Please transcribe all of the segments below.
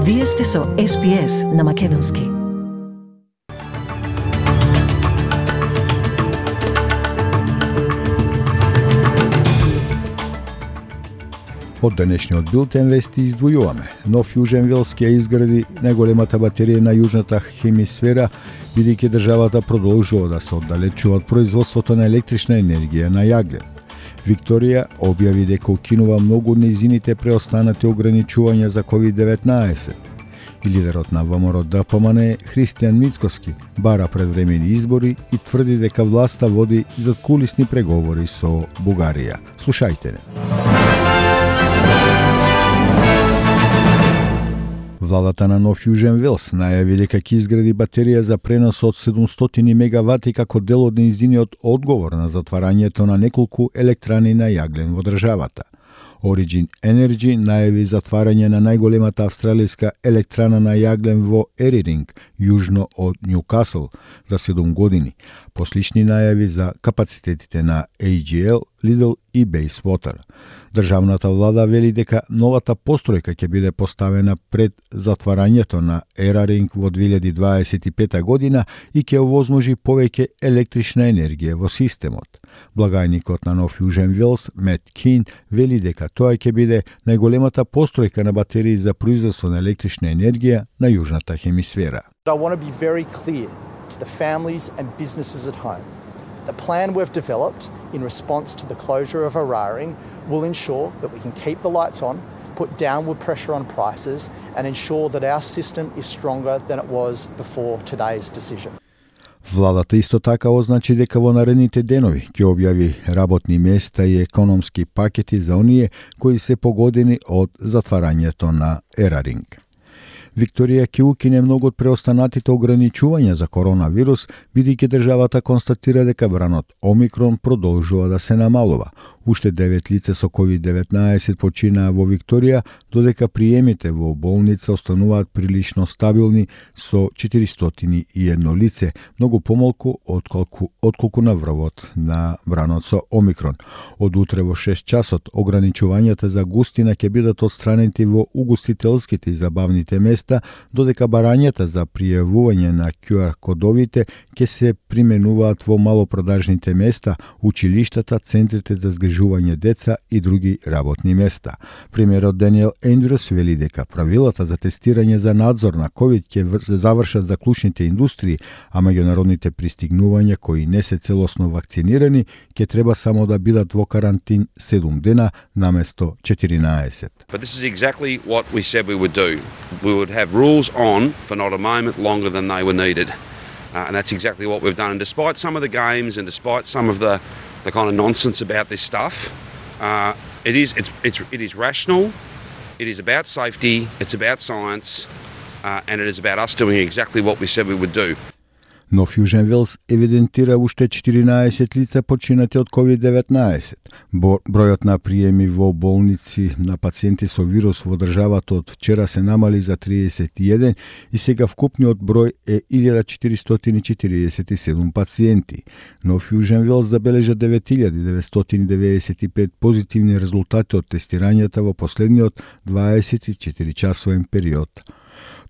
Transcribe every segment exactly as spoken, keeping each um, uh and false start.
Вие сте со Ес Би Ес на Македонски. Од денешниот билтен вести издвојуваме. Нов Јужен Велс ќе изгради најголемата батерија на јужната хемисфера, бидејќи државата продолжува да се оддалечува од производството на електрична енергија на јаглен. Викторија објави дека укинува многу од нејзините преостанати ограничувања за ковид деветнаесет. И лидерот на ВМРО Д П М Н Христијан Мицкоски бара предвремени избори и тврди дека власта води задкулисни преговори со Бугарија. Слушајте не. Владата на Нов Јужен Велс најави дека ќе изгради батерија за пренос од седумстотини мегавати како дел од нејзиниот одговор на затварањето на неколку електрани на јаглен во државата. Origin Energy најави затварање на најголемата австралијска електрана на јаглен во Ериринг, јужно од Њукасл, за седум години. Послични најави за капацитетите на Ей Джи Ел, Lidl и Bayswater. Државната влада вели дека новата постројка ќе биде поставена пред затварањето на Ераринг во две илјади дваесет и пета година и ќе овозможи повеќе електрична енергија во системот. Благајникот на Нов Јужен Велс, Мет Кин, вели дека тоа ќе биде најголемата постројка на батерии за производство на електрична енергија на јужната хемисфера. I want to be very clear to the families and businesses at home. The plan we've developed in response to the closure of Eraring will ensure that we can keep the lights on, put downward pressure on prices, and ensure that our system is stronger than it was before today's decision. Владата исто така означи дека во наредните денови ќе објави работни места и економски пакети за оние кои се погодени од затварањето на Ераринг. Викторија ќе укине многу од преостанатите ограничувања за коронавирус, бидејќи државата констатира дека бранот Омикрон продолжува да се намалува. Уште девет лица со ковид деветнаесет починаа во Викторија, додека приемите во болница остануваат прилично стабилни со четиристотини и едно лице, многу помалку отколку, отколку на врвот на бранот со Омикрон. Од утре во шест часот ограничувањата за густина ќе бидат отстранети во угостителските и забавните места, додека барањата за пријавување на Q R кодовите ќе се применуваат во малопродажните места, училиштата, центрите за згрижување деца и други работни места. Премиерот Даниел Ендрюс вели дека правилата за тестирање за надзор на ковид ќе завршат за клучните индустрии, а меѓународните пристигнувања кои не се целосно вакцинирани ќе треба само да бидат во карантин седум дена наместо четиринаесет. But this is exactly what we said we would do. We would have rules on for not a moment longer than they were needed. Uh, and that's exactly what we've done. And despite some of the games and despite some of the, the kind of nonsense about this stuff, uh, it is it's, it's it is rational, it is about safety, it's about science, uh, and it is about us doing exactly what we said we would do. Нов Јужен Велс евидентира уште четиринаесет лица починати од ковид деветнаесет. Бројот на приеми во болници на пациенти со вирус во државата од вчера се намали за триесет и еден и сега вкупниот број е илјада четиристотини четиридесет и седум пациенти. Нов Јужен Велс забележа девет илјади деветстотини деветдесет и пет позитивни резултати од тестирањата во последниот дваесет и четири часовен период.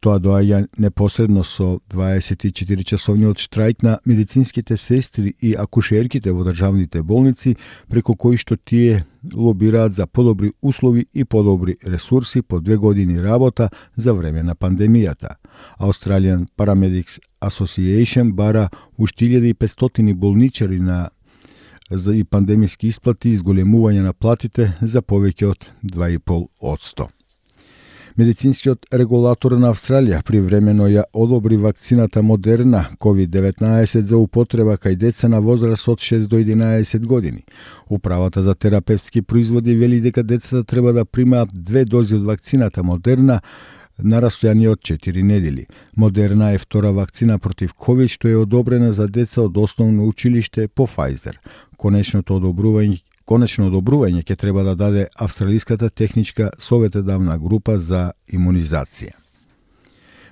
Тоа доаѓа непосредно со дваесет и четири часовниот штрајк на медицинските сестри и акушерките во државните болници, преку кои што тие лобираат за подобри услови и подобри ресурси по две години работа за време на пандемијата. Australian Paramedics Association бара уште илјада и петстотини болничари на за и пандемиски исплати и изголемување на платите за повеќе од два и пол одсто. Медицинскиот регулатор на Австралија привремено ја одобри вакцината Модерна ковид деветнаесет за употреба кај деца на возраст од шест до единаесет години. Управата за терапевтски производи вели дека децата треба да примаат две дози од вакцината Модерна на растојание од четири недели. Модерна е втора вакцина против ковид што е одобрена за деца од основно училиште по Pfizer. Конечното одобрување Конечно одобрување ќе треба да даде Австралиската техничка советодавна група за имунизација.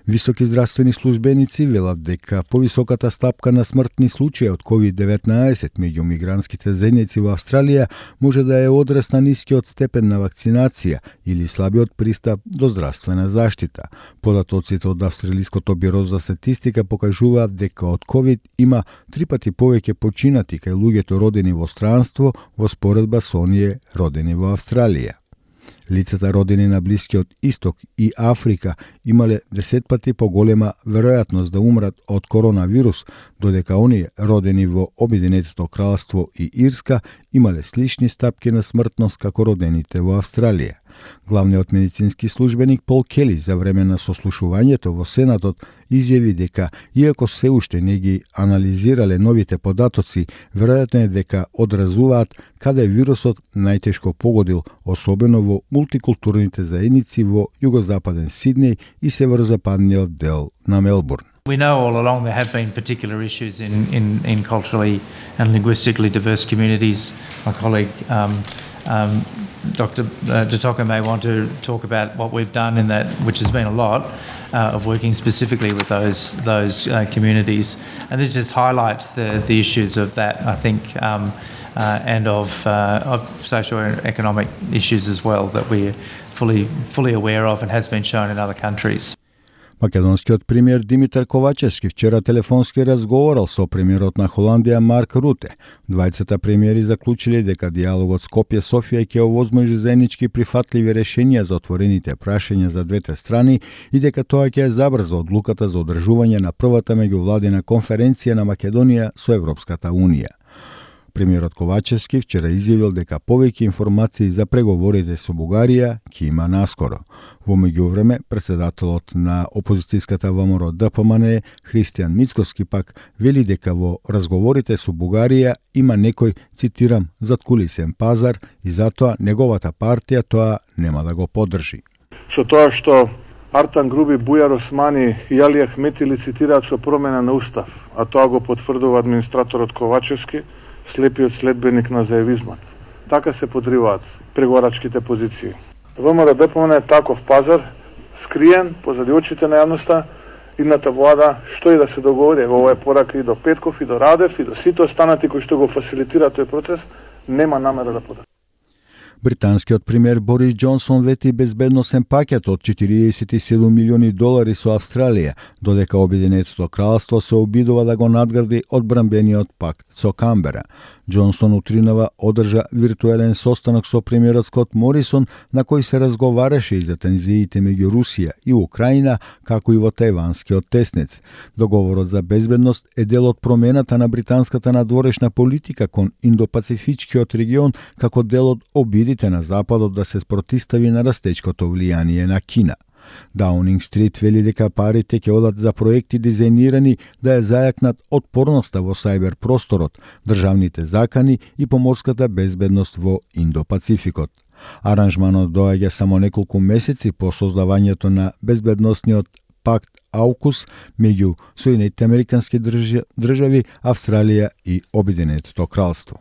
Високи здравствени службеници велат дека повисоката стапка на смртни случаи од ковид деветнаесет меѓу мигрантските заедници во Австралија може да е одраз на нискиот степен на вакцинација или слабиот пристап до здравствена заштита. Податоците од Австралиското биро за статистика покажуваат дека од ковид има три пати повеќе починати кај луѓето родени во странство во споредба со оние родени во Австралија. Лицата родени на Блискиот Исток и Африка имале десет пати поголема веројатност да умрат од коронавирус, додека оние родени во Обединетото кралство и Ирска имале слични стапки на смртност како родените во Австралија. Главниот медицински службеник Пол Кели за време на сослушувањето во Сенатот изјави дека, иако се уште не ги анализирале новите податоци, веројатно е дека одразуваат каде вирусот најтешко погодил, особено во мултикултурните заедници во југозападен Сиднеј и северозападниот дел на Мелбурн. We know all along there have been particular issues in, in, in culturally and linguistically diverse communities. My colleague um, um, Doctor Detoka may want to talk about what we've done in that, which has been a lot uh, of working specifically with those those uh, communities, and this just highlights the the issues of that, I think, um, uh, and of uh, of socio-economic issues as well that we're fully fully aware of and has been shown in other countries. Македонскиот премиер Димитар Ковачевски вчера телефонски разговарал со премиерот на Холандија Марк Руте. Двајцата премиери заклучиле дека диалогот Скопје-Софија ќе овозможи заеднички прифатливи решенија за отворените прашања за двете страни и дека тоа ќе забрза одлуката за одржување на првата меѓувладина конференција на Македонија со Европската Унија. Премиерот Ковачевски вчера изјавил дека повеќе информации за преговорите со Бугарија ќе има наскоро. Во меѓувреме, председателот на опозицијската ВМРО Д П М Н Христијан Мицкоски пак вели дека во разговорите со Бугарија има некој, цитирам, заткулисен пазар и затоа неговата партија тоа нема да го поддржи. Со тоа што Артан Груби, Бујар Османи и Али Ахмети лицитираат со промена на устав, а тоа го потврдува администраторот Ковачевски, слепиот следбеник на заевизмот. Така се подриваат преговарачките позиции. ВМРО Д П М Н е таков пазар, скриен позади очите на јавноста. Идната влада, што и да се договори, ова е порака и до Петков, и до Радев, и до сите останати кои што го фасилитираат тој процес, нема намера да подржи. Британскиот премиер Борис Џонсон вети безбедносен пакет од четириесет и седум милиони долари со Австралија, додека Обединетото кралство се обидува да го надгради одбранбениот пакт со Камбера. Џонсон утринава одржа виртуелен состанок со премиерот Скот Морисон, на кој се разговараше и за тензиите меѓу Русија и Украина, како и во тајванскиот теснец. Договорот за безбедност е дел од промената на британската надворешна политика кон Индопацифичкиот регион, како дел од обидите на Западот да се спротистави на растечкото влијание на Кина. Даунинг Стрит вели дека парите ќе одат за проекти дизајнирани да ја зајакнат отпорноста во сајбер просторот, државните закани и поморската безбедност во Индопацификот. Аранжманот доаѓа само неколку месеци по создавањето на безбедносниот пакт аукус меѓу Соединетите американски држави, Австралија и Обединетото кралство.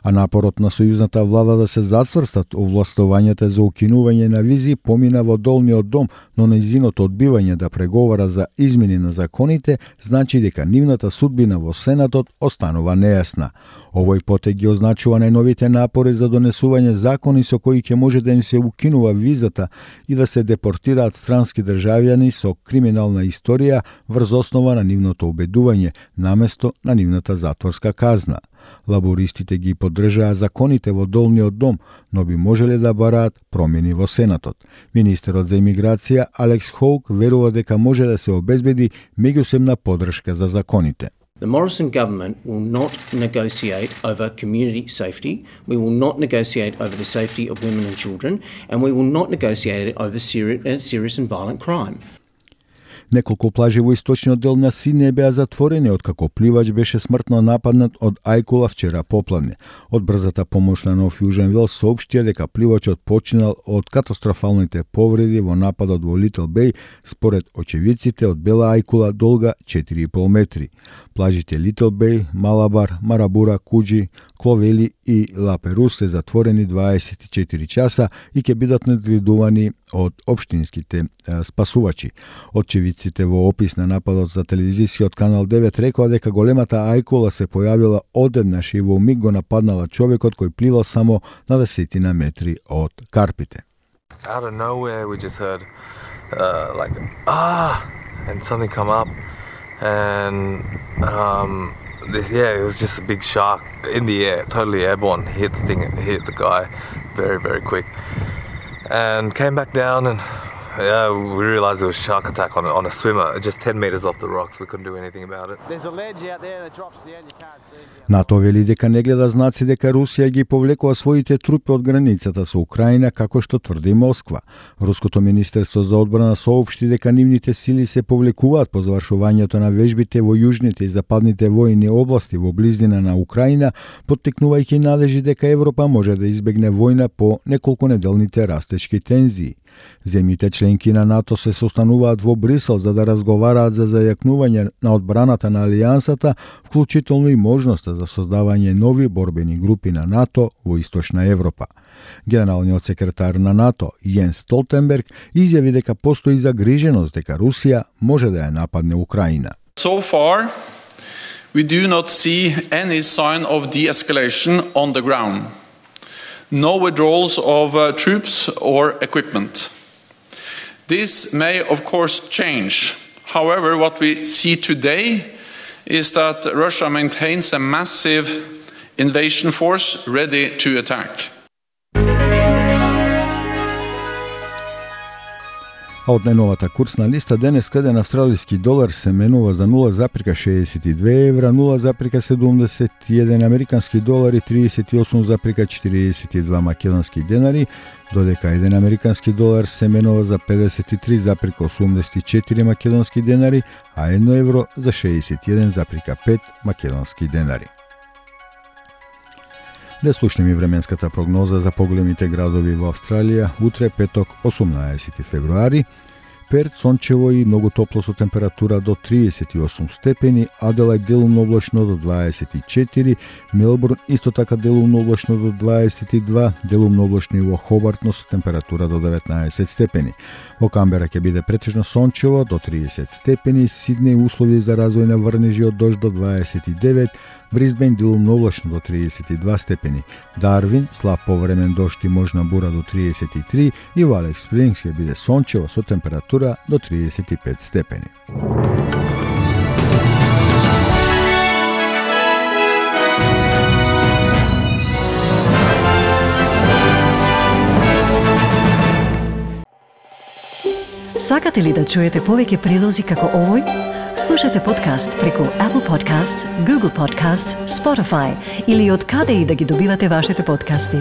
А напорот на сојузната влада да се зацврстат овластувањата за укинување на визи помина во долниот дом, но нејзиното одбивање да преговара за измени на законите значи дека нивната судбина во Сенатот останува нејасна. Овој потег ги означува најновите напори за донесување закони со кои ќе може да им се укинува визата и да се депортираат странски државјани со криминална историја врз основа на нивното убедување, наместо на нивната затворска казна. Лабористите ги поддржаа законите во долниот дом, но би можеле да бараат промени во Сенатот. Министерот за имиграција Алекс Хоук верува дека може да се обезбеди меѓусебна поддршка за законите. The Morrison government will not negotiate over community safety, we will not negotiate over the safety of women and children, and we will not negotiate over serious, serious and violent crime. Неколку плажи во источниот дел на Сиднеј беа затворени откако пливач беше смртно нападнат од ајкула вчера попладне. Од брзата помош на Нов Јужен Велс соопштија дека пливачот починал од катастрофалните повреди во нападот во Литл Беј, според очевидците од бела ајкула долга четири и пол метри. Плажите Литл Беј, Малабар, Марабура, Куџи, Кловели и Ла Перус се затворени дваесет и четири часа и ќе бидат надградувани од општинските спасувачи. Очевидците во опис на нападот за телевизискиот канал девет рекоа дека големата ајкула се појавила одеднаш и во миг го нападнала човекот кој пливал само на десетина метри од карпите. Out of nowhere we just heard uh, like ah and something come up and um, this, yeah, it was just a big shark in the air, totally airborne, hit the thing, hit the guy very, very quick and came back down and yeah, we realised it was a shark attack on a, on a swimmer, just ten metres off the rocks. We couldn't do anything about it. There's a ledge out there that drops to the end, you can't see. НАТО вели дека не гледа знаци дека Русија ги повлекува своите трупи од границата со Украина, како што тврди Москва. Руското министерство за одбрана соопшти дека нивните сили се повлекуваат по завршувањето на вежбите во јужните и западните војни области во близина на Украина, поттикнувајќи надежи дека Европа може да избегне војна по неколкунеделните растечки тензии. Земјите членки на НАТО се состануваат во Брисел за да разговараат за зајакнување на одбраната на алијансата, вклучително и можноста за создавање нови борбени групи на НАТО во Источна Европа. Генералниот секретар на НАТО Јенс Столтенберг изјави дека постои загриженост дека Русија може да ја нападне Украина. So far, we do not see any sign of de-escalation on the ground. No withdrawals of uh, troops or equipment. This may, of course, change. However, what we see today is that Russia maintains a massive invasion force ready to attack. А од најновата курсна листа денеска еден австралиски долар се менува за нула запирка шеесет и две евра, нула запирка седумдесет и еден американски долар и тридесет и осум запирка четириесет и два македонски денари, додека еден американски долар се менува за педесет и три запирка осумдесет и четири македонски денари, а едно евро за шеесет и еден запирка пет македонски денари. Да слушнеме временската прогноза за поголемите градови во Австралија. Утре, петок, осумнаесети февруари. Перт сончево и многу топло со температура до тридесет и осум степени, Аделајд делумно облачно до дваесет и четири, Мелбурн исто така делумно облачно до дваесет и два, делумно облачно и во Хобарт со температура до деветнаесет степени. Во Камбера ќе биде претежно сончево до тридесет степени, Сиднеј услови за развој на врнежи од дожд до дваесет и девет, Брисбен делумно облачно до тридесет и два степени, Дарвин слаб повремен дожд и можна бура до тридесет и три и во Алекс Спрингс ќе биде сончево со температура до тридесет и пет степени. Сакате ли да чуете повеќе прилози како овој? Слушате подкаст преку Apple Podcasts, Google Podcasts, Spotify или од каде и да ги добивате вашите подкасти.